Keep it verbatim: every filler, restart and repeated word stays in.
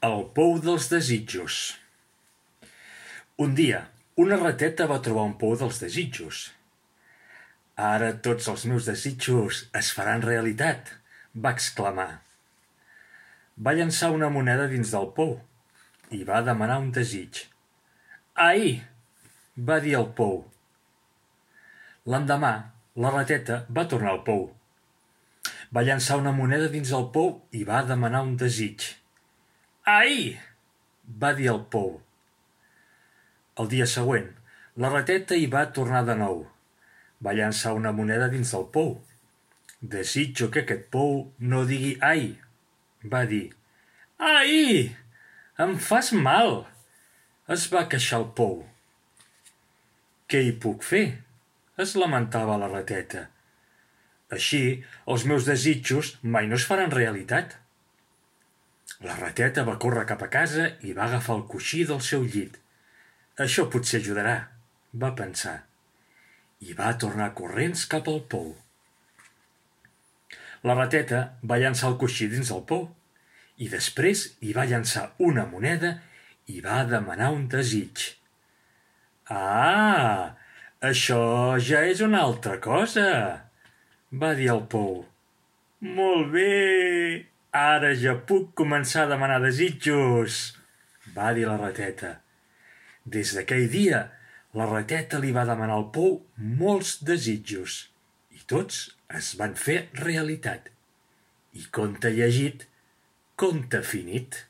El pou dels desitjos. Un dia, una rateta va trobar un pou dels desitjos. Ara tots els meus desitjos es faran realitat, va exclamar. Va llançar una moneda dins del pou i va demanar un desig. Ai! Va dir el pou. L'endemà, la rateta va tornar al pou. Va llançar una moneda dins el pou i va demanar un desig. Ai! Va dir el pou. El dia següent, la rateta hi va tornar de nou. Va llançar una moneda dins del pou. Desitjo que aquest pou no digui ai, va dir. Ai! Em fas mal! Es va queixar el pou. Què hi puc fer? Es lamentava la rateta. Així, els meus desitjos mai no es faran realitat. La rateta va córrer cap a casa i va agafar el coixí del seu llit. Això potser ajudarà, va pensar, i va tornar corrents cap al pou. La rateta va llançar el coixí dins el pou i després hi va llançar una moneda i va demanar un desig. Ah! Això ja és una altra cosa, va dir el pou. Molt bé! Ara ja puc començar a demanar desitjos, va dir la rateta. Des d'aquell dia, la rateta li va demanar al pou molts desitjos i tots es van fer realitat. I conte llegit, conte finit.